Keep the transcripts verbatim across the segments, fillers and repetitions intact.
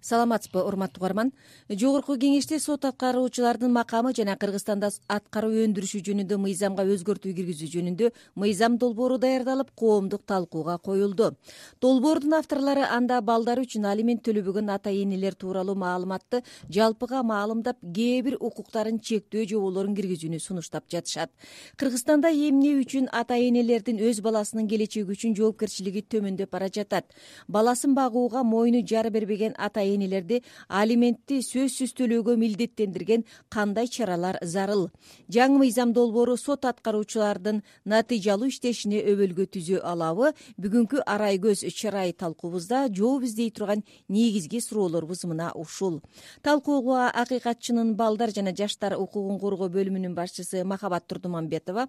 Саламатсызбы, урматтуу угарман. Жогорку кеңеште сот аткаруучулардын макамы жана Кыргызстанда аткаруу өндүрүшү жөнүндө мыйзамга өзгөртүү киргизүү жөнүндө мыйзам долбоору даярдалып, коомдук талкууга коюлду. Долбоордун авторлору анда балдар үчүн алимент төлөбөгөн ата-энелер тууралуу маалыматты жалпыга маалымдап, кээ бир укуктарын чектөө жоболорун киргизүүнү сунуштап жатышат. Кыргызстанда эмне үчүн ата-энелердин өз баласынын келечеги үчүн жоопкерчилиги төмөндөп бара жатат? Баласын багууга мойну жара бербеген ата энелерди алиментти сөзсүз төлөөгө милдеттендирген кандай чаралар зарыл? Жаңы мыйзам долбоору сот аткаруучулардын натыйжалуу иштешине өбөлгө түзө алабы? Бүгүнкү арай көз чырай талкуубузда жооп издей турган негизги суроолорубуз мына ушул. Талкууга акыйкатчынын балдар жана жаштар укугун коргоо бөлүмүнүн башчысы Махабат Турдуманбетова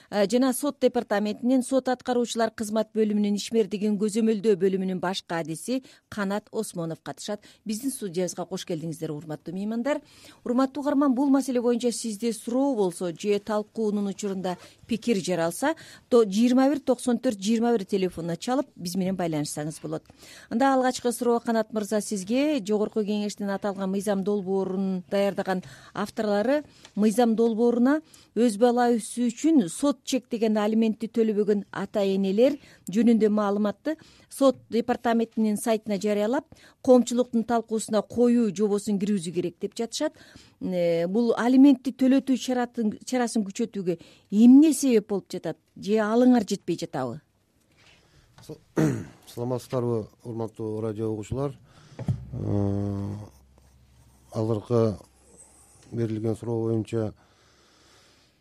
жана сот департаментинин сот аткаруучулар кызмат бөлүмүнүн ишмердигин көзөмөлдөө бөлүмүнүн баш кадиси Канат Осмонов катышат. Биздин студиябызга кош келдиңиздер, урматтуу меймандар. Урматтуу угарман, бул маселе боюнча сизде суроо болсо же талкуунун учурунда пикир жаралса, жыйырма бир токсон төрт жыйырма бир телефонуна чалып биз менен байланышсаңыз болот. Анда алгачкы суроо Канат мырза сизге. Жогорку кеңештин аталган мыйзам долбоорун даярдаган авторлору мыйзам долбооруна өз баласы үчүн сот чектеген алиментти төлөбөгөн ата-энелер жөнүндө маалыматты сот департаментинин сайтына жарыялап, коомчулуктун талкуусуна коюу жобосун киргизүү керек деп жатышат. Бул алиментти төлөтүү чарасын күчөтүүгө эмне себеп болуп жатат? Же алыңар жетпей жатабы? Саламатсыздарбы, урматтуу радио угуучулар. Алыркы берилген суроо боюнча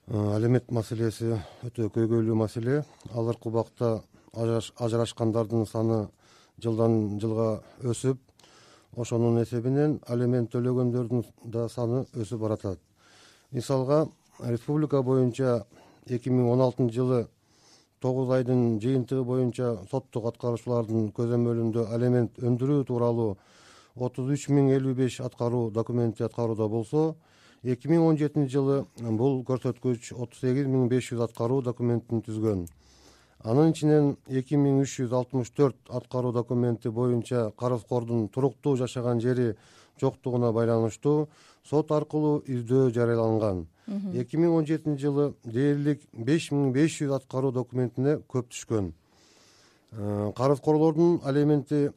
алимент маселеси өтө көйгөйлүү маселе. Алыркы убакта ажырашкандардын саны жылдан жылга өсүп, ошонун эсебинен алимент төлөгөндөрдүн да саны өсүп баратат. Мисалга, республика боюнча эки миң он алтынчы жылы тогуз айдын жыйынтыгы боюнча соттук аткаруучулардын көзөмөлүндө алимент өндүрүү тууралуу отуз үч миң элүү беш аткаруу документи аткарууда болсо, эки миң он жетинчи жылы бул көрсөткүч отуз сегиз миң беш жүз аткаруу документин түзгөн. Анын ичинен эки миң үч жүз алтымыш төрт аткаруу документи боюнча карызкордун туруктуу жашаган жери жоктугуна байланыштуу сот аркылуу издөө жарыяланган. эки миң он жетинчи жылы дээрлик беш миң беш жүз аткаруу документине көп түшкөн. Карызкорлордун алиментти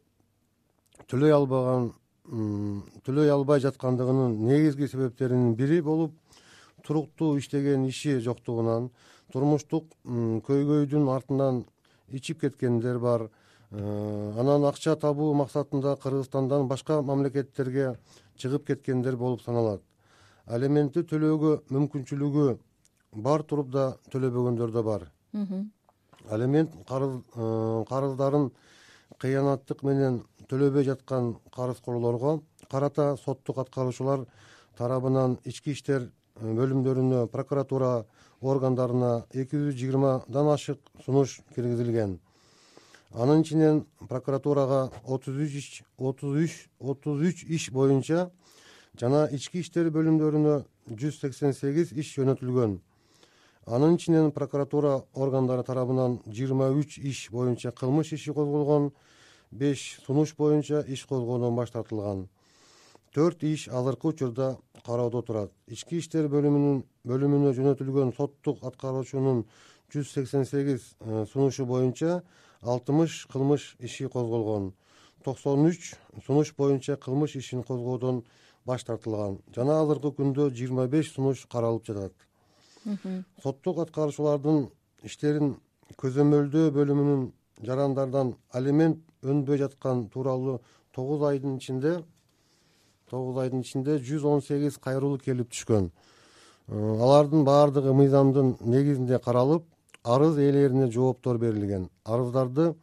төлөй албаган төлөй албай жаткандыгынын негизги себептеринин бири болуп, туруктуу иштеген иши жоктугунан, турмуштук көйгөйдүн артынан ичип кеткендер бар. Анан акча табуу максатында Кыргызстандан башка мамлекеттерге чыгып кеткендер болуп саналат. Алиментти төлөөгө мүмкүнчүлүгү бар туруп да төлөбөгөндөр да бар. Алимент карыздарын кыянаттык менен төлөбөй жаткан карызкорлорго карата соттук аткаруучулар тарабынан ички иштер бөлүмдөрүнө, прокуратура органдарына эки жүз жыйырмадан ашык сунуш киргизилген. Анын ичинен прокуратурага отуз үч иш боюнча жана ички иштер бөлүмдөрүнө жүз сексен сегиз иш жөнөтүлгөн. Анын ичинен прокуратура органдары тарабынан жыйырма үч иш боюнча кылмыш иши козголгон, беш сунуш боюнча иш козгоодон баш тартылган. төрт иш азыркы учурда кароодо турат. Ички иштер бөлүмүнүн бөлүмүнө жөнөтүлгөн соттук аткаруучунун жүз сексен сегиз сунушу боюнча алтымыш кылмыш иши козголгон. токсон үч сунуш боюнча кылмыш ишин козгоодон баш тартылган. Жана азыркы күндө жыйырма беш сунуш каралып жатат. Соттук аткаруучулардын иштерин көзөмөлдөө бөлүмүнүн жарандардан алимент өнбөй жаткан тууралуу тогуз айдын ичинде тогуз айдын ичинде жүз он сегиз кайрылуу келип түшкөн. Алардын баардыгы мыйзамдын негизинде каралып, арыз ээлерине жооптор берилген. Арыздарды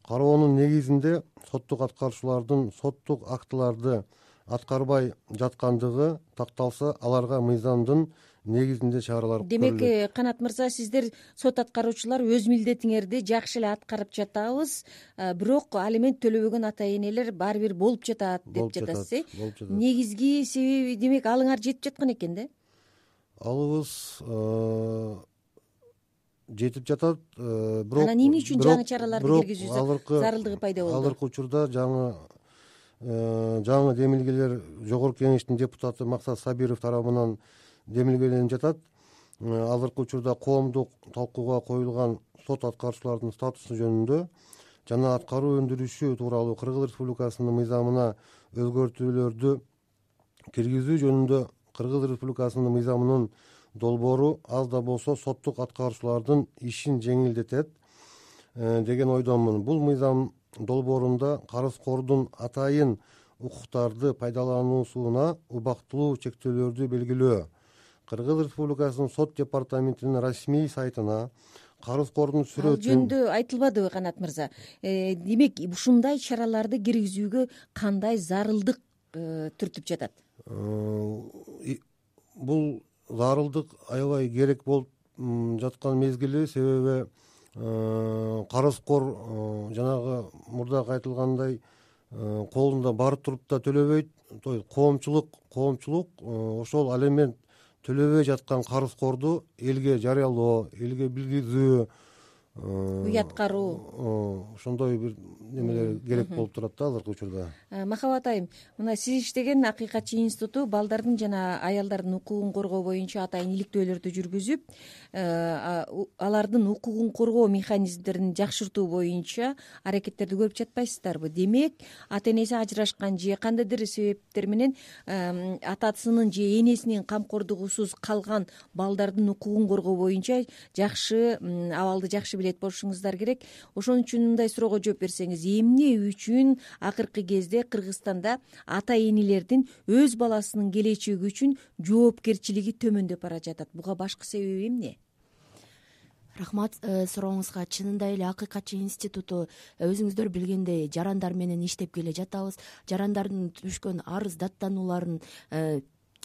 кароонун негизинде соттук аткаруучулардын соттук актыларды аткарбай жаткандыгы такталса, аларга мыйзамдын негизинде чаралар көрүлөт. Демек, Канат мырза, сиздер сот аткаруучулар өз милдетиңерди жакшы эле аткарып жатабыз, бирок алимент төлөбөгөн ата-энелер баары бир болуп жатат деп жатасыз, э? Негизги себеби демек алыңар жетип жаткан экен да? Алыбыз жетип жатат, бирок анан эмне үчүн жаңы чараларды киргизүү зарылдыгы пайда болду? Азыркы учурда жаңы жаңы демилгелер жогорку кеңештин депутаты Максат Сабиров тарабынан демилгеленип жатат. Азыркы учурда коомдук талкууга коюлган сот аткаруучулардын статусу жөнүндө жана аткаруу өндүрүшү тууралуу Кыргыз Республикасынын мыйзамына өзгөртүүлөрдү киргизүү жөнүндө Кыргыз Республикасынын мыйзамынын долбоору аз да болсо соттук аткаруучулардын ишин жеңилдетет деген ойдомун. Бул мыйзам долбоорунда карызкордун атайын укуктарды пайдалануусуна убактылуу чектөөлөрдү белгилөө, Кыргыз Республикасынын сот департаментинин расмий сайтына карызкордун сүрөтүн ал жөнүндө айтылбадыбы Канат мырза? Демек ушундай чараларды киргизүүгө кандай зарылдык түртүп жатат? Бул зарылдык аябай керек болуп жаткан мезгили, себеби карызкор жанагы мурдагы айтылгандай колунда бар туруп да төлөбөйт. Коомчулук коомчулук ошол алимент төлөбөй жаткан карызкорду элге жарыялоо, элге билгизүү, уяткаруу, ошондой бир немелер керек болуп турат да азыркы учурда. Махабат айым, мына сиз иштеген Акыйкатчы институту балдардын жана аялдардын укугун коргоо боюнча атайын иликтөөлөрдү жүргүзүп, алардын укугун коргоо механизмдерин жакшыртуу боюнча аракеттерди көрүп жатпайсыздарбы? Демек, ата энеси ажырашкан же кандайдыр себептер менен атасынын же энесинин камкордугусуз калган балдардын укугун коргоо боюнча жакшы абалды жакшы билет болушуңуздар керек. Ошон үчүн мындай суроого жооп берсеңиз, эмне үчүн акыркы кезде Кыргызстанда ата энелердин өз баласынын келечеги үчүн жоопкерчилиги төмөндөп бара жатат? Буга башкы себеби эмне? Рахмат сурооңузга. Чынында эле Акыйкатчы институту өзүңүздөр билгендей жарандар менен иштеп келе жатабыз. Жарандардын түшкөн арыз даттанууларын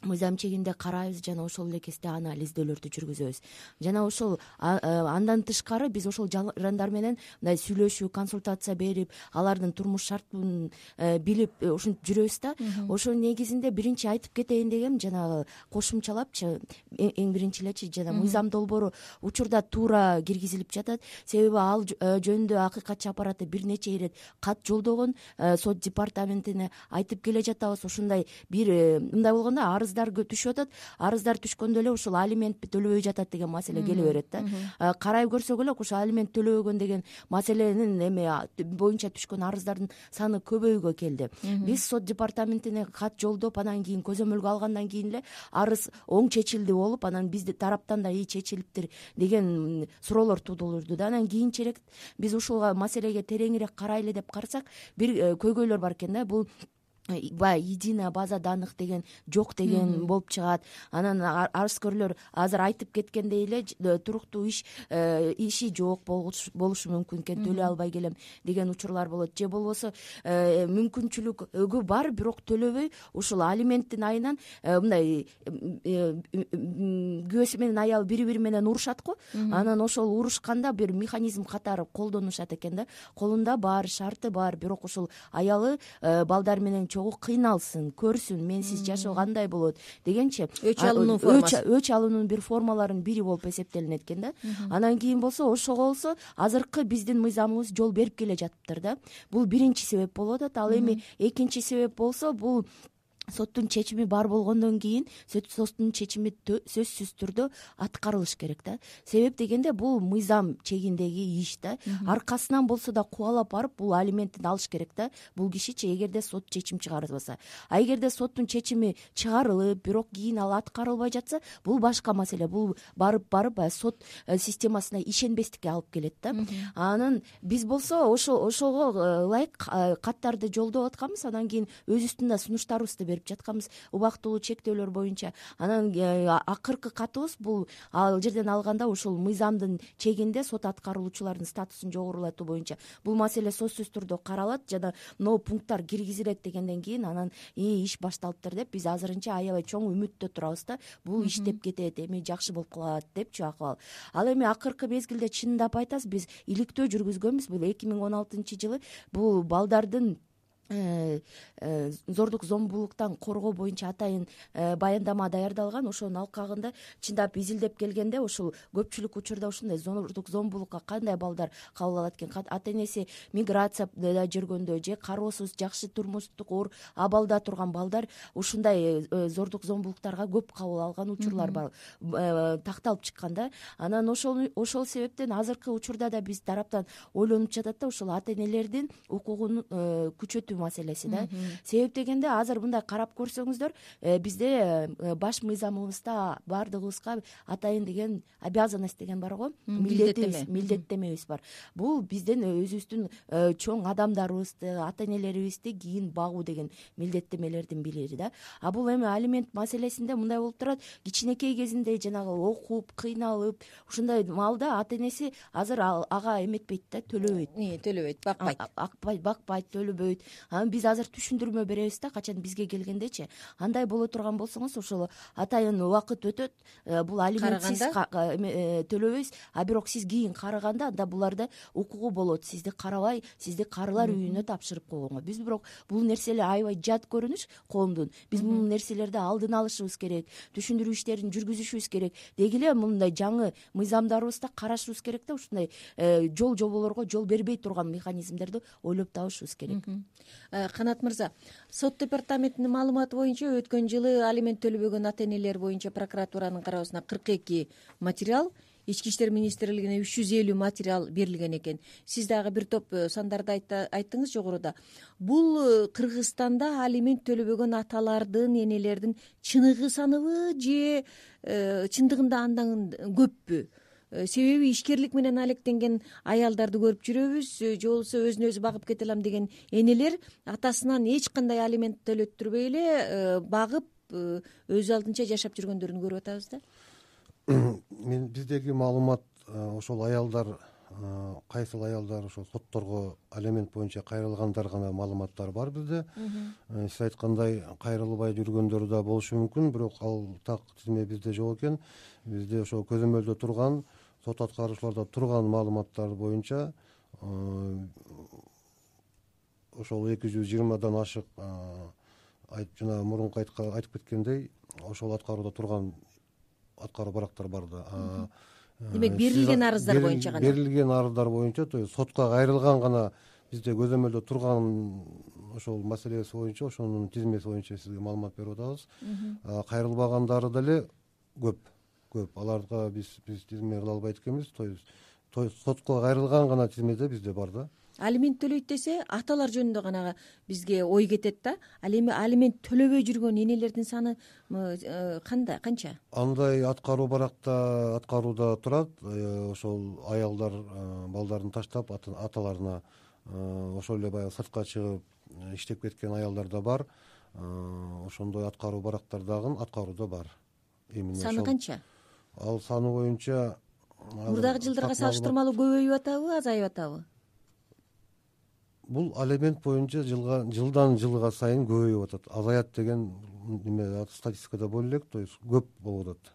мыйзам чегинде карайбыз жана ошол эле кезде анализдөөлөрдү жүргүзөбүз. Жана ошол андан тышкары биз ошол жарандар менен мындай сүйлөшүү, консультация берип, алардын турмуш шартын билип ушинтип жүрөбүз да. Ошонун негизинде биринчи айтып кетейин дегем, жанагы кошумчалапчы, эң биринчи элечи жана мыйзам долбоору учурда туура киргизилип жатат. Себеби ал жөнүндө Акыйкатчы аппараты бир нече ирет кат жолдогон, сот департаментине айтып келе жатабыз. Ошондой бир мындай болгондо арыз арыздар түшүп атат. Арыздар түшкөндө эле ушул алимент төлөбөй жатат деген маселе келе берет да. Карайып көрсөк эле ушул алимент төлөбөгөн деген маселенин эме боюнча түшкөн арыздардын саны көбөйгө келди. Биз сот департаментине кат жолдоп, анан кийин көзөмөлгө алгандан кийин эле арыз оң чечилди болуп, анан биздин тараптан да ий чечилиптир деген суроолор туудурду да. Анан кийинчерээк биз ушул маселеге тереңирээк карайлы деп карасак, бир көйгөйлөр бар экен да. Бул баягы единая база данных деген жок деген болуп чыгат. Анан арызкөрлөр азыр айтып кеткендей эле туруктуу иш иши жок болушу мүмкүн экен, төлөй албай келем деген учурлар болот. Же болбосо мүмкүнчүлүгү бар, бирок төлөбөй ушул алименттин айынан мындай күйөөсү менен аялы бири-бири менен урушат го. Анан ошол урушканда бир механизм катары колдонушат экен да. Колунда бар, шарты бар, бирок ушул аялы балдар менен кыйналсын, көрсүн, менсиз жашоо кандай болот дегенчи өч алынуу формасы, өч алуунун бир формаларынын бири болуп эсептелинет экен да. Анан кийин болсо ошого болсо азыркы биздин мыйзамыбыз жол берип келе жатыптыр да. Бул биринчи себеп болуп атат. Ал эми экинчи себеп болсо, бул соттун чечими бар болгондон кийин соттун чечими сөзсүз түрдө аткарылыш керек да. Себеп дегенде бул мыйзам чегиндеги иш да. Аркасынан болсо да кубалап барып бул алиментин алыш керек да. Бул кишичи эгерде сот чечим чыгарбаса. А эгерде соттун чечими чыгарылып, бирок кийин ал аткарылбай жатса, бул башка маселе. Бул барып барып сот системасына ишенбестикке алып келет да. Анан биз болсо ошо ошого ылайык каттарды жолдоп атканбыз. Анан кийин өзүбүздүн да сунуштарыбызды берип жатканбыз убактылуу чектөөлөр боюнча. Анан акыркы катыбыз бул ал жерден алганда ушул мыйзамдын чегинде сот аткаруучулардын статусун жогорулатуу боюнча бул маселе сөзсүз түрдө каралат жана могу пункттар киргизилет дегенден кийин анан иш башталыптыр деп биз азырынча аябай чоң үмүттө турабыз да. Бул иштеп кетет, эми жакшы болуп калат депчи акыбал. Ал эми акыркы мезгилде чындап айтасыз, биз иликтөө жүргүзгөнбүз. Бул эки миң он алтынчы жылы бул балдардын зордук зомбулуктан коргоо боюнча атайын баяндама даярдалган. Ошонун алкагында чындап изилдеп келгенде ушул көпчүлүк учурда ушундай зордук зомбулукка кандай балдар кабыл алат экен, ата энеси миграцияда жүргөндө же кароосуз жакшы турмуштук оор абалда турган балдар ушундай зордук зомбулуктарга көп кабыл алган учурлар бар, такталып чыккан да. Анан ошол ошол себептен азыркы учурда да биз тараптан ойлонуп жатат да ушул ата энелердин укугун күчөтүү маселеси да. Себеп дегенде азыр мындай карап көрсөңүздөр, бизде баш мыйзамыбызда баардыгыбызга атайын деген обязанность деген бар го, милдетибиз, милдеттемебиз бар. Бул биздин өзүбүздүн чоң адамдарыбызды, ата энелерибизди кийин багуу деген милдеттемелердин бири да. А бул эми алимент маселесинде мындай болуп турат, кичинекей кезинде жанагы окуп, кыйналып, ушундай маалда ата энеси азыр ага эметпейт да, төлөбөйт. Төлөбөйт, бакпайт. Акпайт, бакпайт, төлөбөйт. Анан биз азыр түшүндүрмө беребиз да, качан бизге келгендечи. Андай боло турган болсоңуз, ошол атайын убакыт өтөт, бул алиментсиз төлөбөйсүз, а бирок сиз кийин карыганда анда буларда укугу болот, сизди карабай, сизди карылар үйүнө тапшырып койгонго. Биз бирок бул нерселер аябай жат көрүнүш коомдун. Биз бул нерселерди алдын алышыбыз керек, түшүндүрүү иштерин жүргүзүшүбүз керек. Деги эле мындай жаңы мыйзамдарыбызда карашыбыз керек да, ушундай жол жоболорго жол бербей турган механизмдерди ойлоп табышыбыз керек. Канат мырза, сот департаментинин маалыматы боюнча өткөн жылы алимент төлөбөгөн ата энелер боюнча прокуратуранын кароосуна кырк эки материал, Ички иштер министрлигине үч жүз элүү материал берилген экен. Сиз дагы бир топ сандарды айттыңыз жогоруда. Бул Кыргызстанда алимент төлөбөгөн аталардын, энелердин чыныгы саныбы же чындыгында андан көппү? Себеби ишкерлик менен алектенген аялдарды көрүп жүрөбүз, же болбосо өзүн өзү багып кете алам деген энелер атасынан эч кандай алимент төлөттүрбөй эле багып өз алдынча жашап жүргөндөрүн көрүп атабыз да. Мен биздеги маалымат ошол аялдар, кайсыл аялдар ошол сотторго алимент боюнча кайрылгандар гана маалыматтар бар бизде. Сиз айткандай кайрылбай жүргөндөр да болушу мүмкүн, бирок ал так тизме бизде жок экен. Бизде ошол көзөмөлдө турган, сот аткаруучуларда турган маалыматтар боюнча ошол эки жүз жыйырмадан ашык, жана мурунку айтып кеткендей, ошол аткарууда турган аткаруу барактар бар да. Демек берилген арыздар боюнча гана. Берилген арыздар боюнча, то есть сотко кайрылган гана бизде көзөмөлдө турган ошол маселеси боюнча, ошонун тизмеси боюнча сизге маалымат берип атабыз. Кайрылбагандары деле көп, көп. Аларга биз биз тизме кыла албайт экенбиз. То есть сотко кайрылган гана тизмеде бизде бар да. Алимент төлөйт десе, аталар жөнүндө гана бизге ой кетет да. Ал эми алимент төлөбөй жүргөн энелердин саны кандай, канча? Андай аткаруу баракта аткарууда турат. Ошол аялдар балдарын таштап аталарына ошол эле баягы сыртка чыгып иштеп кеткен аялдар да бар. Ошондой аткаруу барактар дагы аткарууда бар. Саны канча? Ал саны боюнча мурдагы жылдарга салыштырмалуу көбөйүп атабы, азайып атабы? Бул алимент боюнча жылга жылдан жылга сайын көбөйүп атат. Азаят деген неме статистикада боло элек, то есть көп болуп атат.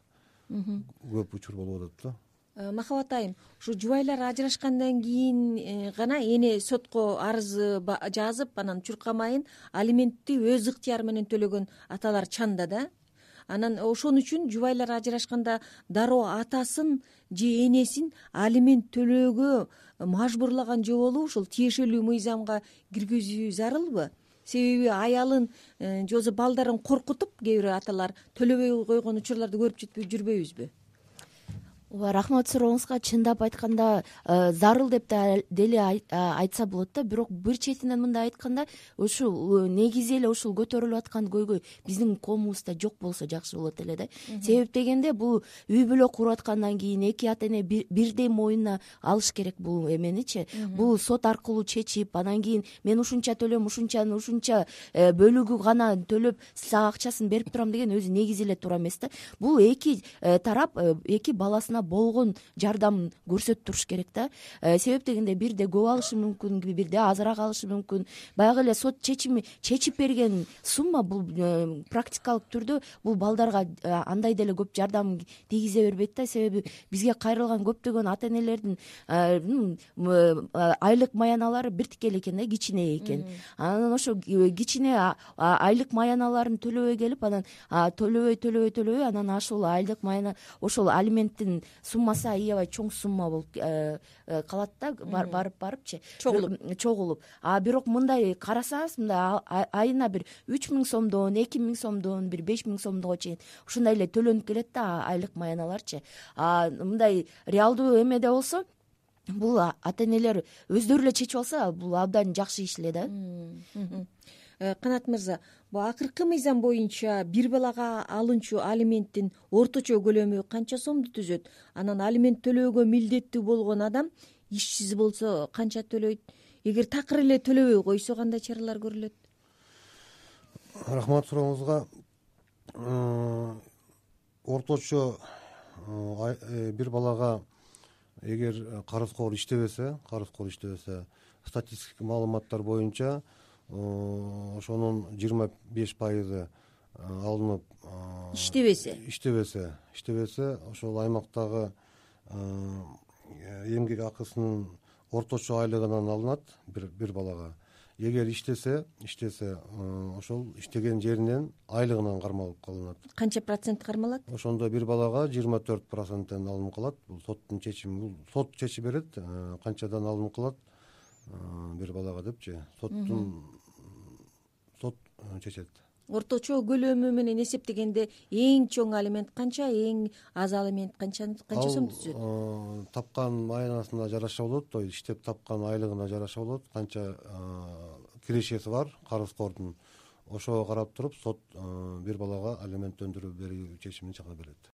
Көп учур болуп атат да. Махабат айым, ушу жубайлар ажырашкандан кийин гана эне сотко арыз жазып, анан чуркамайын алиментти өз ыктыяры менен төлөгөн аталар чанда да. Анан ошон үчүн жубайлар ажырашканда дароо атасын же энесин алимент төлөөгө мажбурлаган жоболуп ушул тиешелүү мыйзамга киргизүү зарылбы? Себеби аялын же болбосо балдарын коркутуп кээ бир аталар төлөбөй койгон учурларды көрүп жүрбөйбүзбү? Ооба, рахмат сурооңузга. Чындап айтканда зарыл деп деле айтса болот да, бирок бир четинен мындай айтканда, ушул негизи эле ушул көтөрүлүп аткан көйгөй биздин коомубузда жок болсо жакшы болот эле да. Себеп дегенде бул үй бүлө куруп аткандан кийин эки ата эне бирдей моюнуна алыш керек бул эменичи. Бул сот аркылуу чечип, анан кийин мен ушунча төлөм, ушунчаны ушунча бөлүгү гана төлөп сага акчасын берип турам деген өзү негизи эле туура эмес да. Бул эки тарап эки баласына болгон жардамын көрсөтүп туруш керек да. Себеп дегенде бирде көп алышы мүмкүн, бирде азыраак алышы мүмкүн. Баягы эле сот чечими чечип берген сумма бул практикалык түрдө бул балдарга андай деле көп жардам тийгизе бербейт да. Себеби бизге кайрылган көптөгөн ата энелердин айлык маяналары бир тикелей экен да, кичине экен. Анан ошо кичине айлык маяналарын төлөбөй келип, анан төлөбөй төлөбөй төлөбөй анан ошол айлык маяна, ошол алименттин суммасы аябай чоң сумма болуп калат да, барып барыпчы чогулуп чогулуп. А бирок мындай карасаңыз, мындай айына бир үч миң сомдон, эки миң сомдон, бир беш миң сомдого чейин ушундай эле төлөнүп келет да айлык маяналарчы. А мындай реалдуу эмеде болсо, бул ата энелер өздөрү эле чечип алса, бул абдан жакшы иш эле да. Канат мырза, бул акыркы мыйзам боюнча бир балага алынчу алименттин орточо көлөмү канча сомду түзөт? Анан алимент төлөөгө милдеттүү болгон адам ишсиз болсо канча төлөйт? Эгер такыр эле төлөбөй койсо кандай чаралар көрүлөт? Рахмат сурооңузга. Орточо бир балага эгер карызкор иштебесе, карызкор иштебесе, статистикалык маалыматтар боюнча ошонун жыйырма беш пайызы алынып, иштебесе иштебесе иштебесе ошол аймактагы эмгек акысынын орточо айлыгынан алынат бир бир балага. Эгер иштесе, иштесе, ошол иштеген жеринен айлыгынан кармалып калынат. Канча процент кармалат? Ошондо бир балага жыйырма төрт проценттен алынып калат. Бул соттун чечими, бул сот чечип берет, канчадан алынып калат бир балага депчи. Соттун сот чечет. Орточо көлөмү менен эсептегенде эң чоң алимент канча, эң аз алимент канча канча сом түзөт? Ал тапкан маянасына жараша болот, то есть иштеп тапкан айлыгына жараша болот, канча кирешеси бар карызкордун. Ошого карап туруп сот бир балага алимент өндүрүп берүү чечимин чыгара берет.